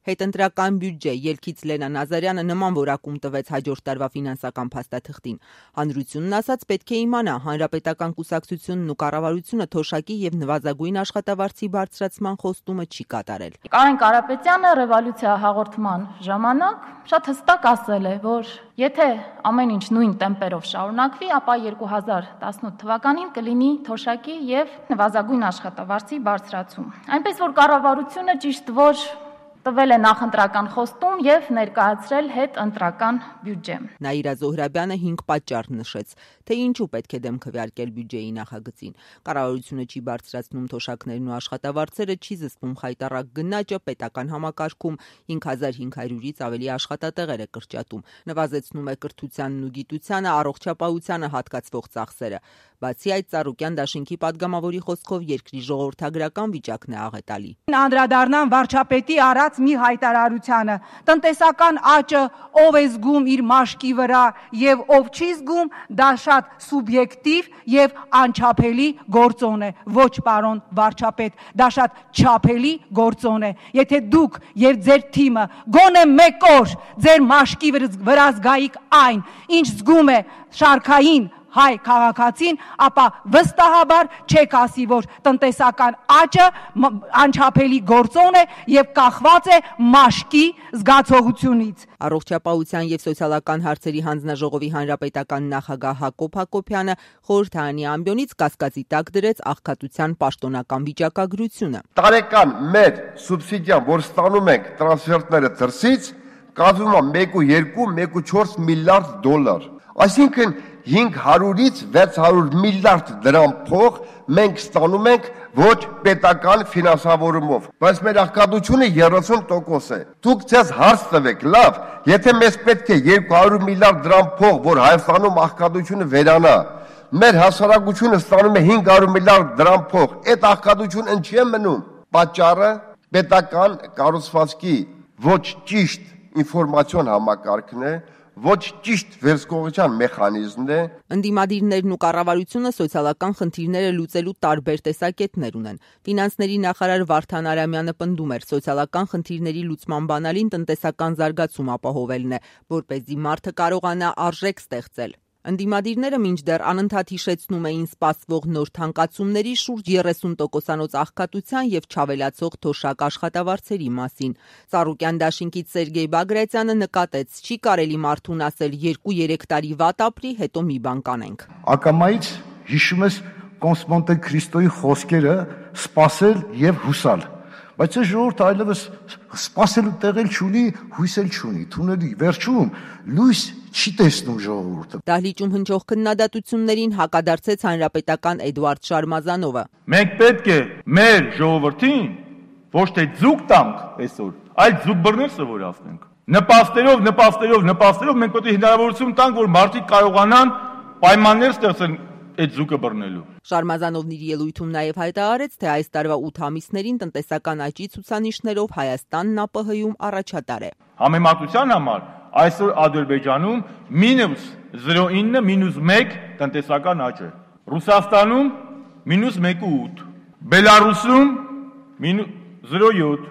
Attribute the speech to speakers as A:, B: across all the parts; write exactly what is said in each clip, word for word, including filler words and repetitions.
A: Հետընտրական բյուջե ելքից Լենա Նազարյանը նման որակում տվեց հաջորդ տարվա ֆինանսական փաստաթղթին։ Հանրությունն ասաց պետք է իմանա հանրապետական կուսակցությունն ու կառավարությունը թոշակի եւ նվազագույն աշխատավարձի բարձրացման խոստումը չի կատարել։
B: Կարեն Կարապետյանը ռևոլյուցիա հաղորդման ժամանակ շատ հստակ ասել է, որ եթե ամեն ինչ նույն տեմպերով շարունակվի, ապա երկու հազար տասնութ թվականին կլինի թոշակի եւ նվազագույն աշխատավարձի բարձրացում։ Այնպես որ կառավարությունը ճիշտ որ տվել է նախընտրական խոստում եւ ներկայացրել հետընտրական բյուջե։
A: Նաիրա Զոհրաբյանը հինգ պատճառ նշեց, թե ինչու պետք է դեմ քվեարկել բյուջեի նախագծին։ Կառավարությունը չի բարձրացնում թոշակներն ու աշխատավարձերը, չի զսպում խայտառակ գնաճը, պետական համակարգում հինգ հազար հինգ հարյուրից ավելի աշխատատեղեր է կրճատում, նվազեցնում է կրթությանն ու գիտությանը, առողջապահությանը հատկացվող ծախսերը։ Բացի այդ, Ծառուկյան դաշինքի падգամավորի խոսքով երկրի ժողովրդագրական վիճակն է աղետալի։
C: Անդրադառնամ վարչապետի արած մի հայտարարությանը. տնտեսական աճը ով է զգում իր մաշկի վրա եւ ով չի զգում, դա շատ սուբյեկտիվ եւ անչափելի գործոն է։ Ոչ, պարոն վարչապետ, դա շատ չափելի գործոն է։ Եթե դուք եւ ձեր թիմը գոնե մեկ օր ձեր մաշկի վրա զգայիք այն, ինչ զգում է շարքային հայ քաղաքացին, ապա վստահաբար չեք ասի, որ տնտեսական աճը անչափելի գործոն է եւ կախված է մաշկի զգացողությունից։
A: Առողջապահության եւ սոցիալական հարցերի հանձնաժողովի հանրապետական նախագահ Հակոբ Հակոբյանը խորհրդարանի ամբիոնից կասկածի տակ դրեց աղքատության պաշտոնական վիճակագրությունը։
D: Տարեկան մեր սուբսիդիան, որ ստանում ենք տրանսֆերտները դրսից, կազմում է մեկ ու երկու, մեկ ու չորս միլիարդ դոլար։ Այսինքն հինգ հարյուրից վեց հարյուր միլիարդ դրամ փող մենք ստանում ենք ոչ պետական ֆինանսավորումով, բայց մեր աղքատությունը երեսուն տոկոս է։ Դուք ցես հարց տվեք, լավ, եթե մեզ պետք է երկու հարյուր միլիարդ դրամ փող, որ Հայաստանում աղքատությունը վերանա, մեր հասարակությունը ստանում է հինգ հարյուր միլիարդ դրամ փող, այդ աղքատությունը ինչի է մնում։ Պատճառը պետական կառուցվածքի ոչ ճիշտ ինֆորմացիոն համակարգն է, ոչ ճիշտ վերահսկողության մեխանիզմն է։
A: Ընդդիմադիրներն ու կառավարությունը սոցիալական խնդիրները լուծելու տարբեր տեսակետներ ունեն։ Ֆինանսների նախարար Վարդան Արամյանը պնդում էր, սոցիալական խնդիրների լուծման բանալին տնտեսական զարգացում ապահովելն է, որպեսզի մարդը կարողանա արժեք ստեղծել։ Ընդդիմադիրները մինչդեռ անընդհատ հիշեցնում էին սպասվող նոր թանկացումների, շուրջ երեսուն տոկոսանոց աղքատության եւ չավելացող թոշակ աշխատավարձերի մասին։ Ծառուկյան դաշինքից Սերգեյ Բագրատյանը նկատեց, չի կարելի մարդուն ասել երկու-երեք տարի վատ ապրի, հետո մի բան կանենք։
E: Ակամայից հիշում ես Կոնստանտին Քրիստոյի խոսքերը սпасել եւ հուսալ։ Բայց այս ժողովուրդը այլևս սпасելու տեղել չունի, հույսել չունի, թունելի վերջում լույս չի տեսնում ժողովուրդը։
A: Դահլիճում հնչող քննադատություններին հակադարձեց հանրապետական Էդուարդ Շարմազանովը։
F: Մենք պետք է մեր ժողովրդին ոչ թե ձուկ տանք այսօր, այլ ձուկ բռնել սովորացնենք։ Նպաստերով, նպաստերով, նպաստերով մենք պետք է հնարավորություն տանք, որ մարդիկ կարողանան պայմաններ ստեղծել այդ ձուկը բռնելու։
A: Շարմազանովն իր ելույթում նաև հայտարարեց, թե այս տարվա ութ ամիսներին տնտեսական աճի ցուցանիշներով Հայաստանն ԱՊՀ-ում առաջատար է։
F: Համեմատության համար այսօր Ադրբեջանում մինուս զրո կoma ինը մինուս մեկ տնտեսական աճ է։ Ռուսաստանում մինուս մեկ կoma ութ, Բելարուսում զրո կoma յոթ,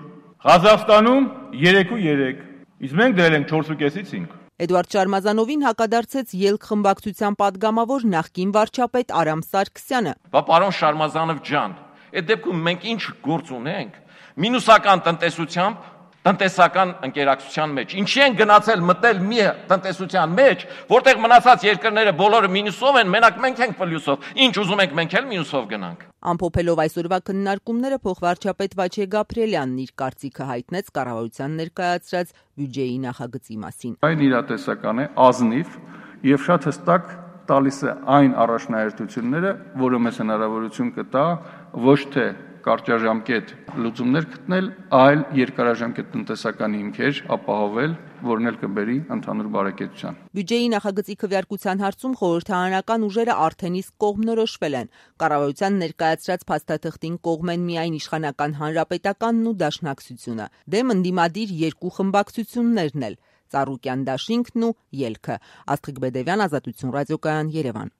F: Ղազախստանում երեք կoma երեք, իսկ մենք դրել ենք չորս կoma պենսից cinque։
A: Էդուարդ Շարմազանովին հակադարձեց ելք խմբակցության падգամավոր նախկին վարչապետ Արամ Սարգսյանը։
G: Բա պարոն Շարմազանով ջան, այդ դեպքում մենք ինչ գործ ունենք։ Մինուսական տնտեսությամբ, տնտեսական ընկերակցության մեջ։ Ինչի են գնացել մտել մի տնտեսության մեջ, որտեղ մնացած երկրները բոլորը մինուսով են, մենակ մենք ենք պլյուսով։ Ինչ ուզում ենք մենք էլ մինուսով գնանք։
A: Ամփոփելով այսօրվա քննարկումները փոխվարչապետ Վաչե Գաբրիելյանն իր կարծիքը հայտնեց կառավարության ներկայացրած բյուջեի նախագծի մասին։
H: Այն իրատեսական է, ազնիվ եւ շատ հստակ տալիս է այն առաջնահերթությունները, որը մեզ հնարավորություն կտա ոչ թե կարճաժամկետ լուծումներ գտնել, այլ երկարաժամկետ տնտեսական հիմքեր ապահովել, որն էլ կբերի ընդհանուր բարեկեցության։
A: Բյուջեի նախագծի քվեարկության հարցում խորհրդարանական ուժերը արդեն իսկ կողմնորոշվել են։ Կառավարության ներկայացրած փաստաթղթին կողմ են միայն իշխանական հանրապետականն ու դաշնակցությունը։ Դեմ ընդդիմադիր երկու խմբակցություններն էլ՝ Ծառուկյան դաշինքն ու Ելքը։ Աստղիկ Բեդևյան, Ազատություն ռադիոկայան, Երևան։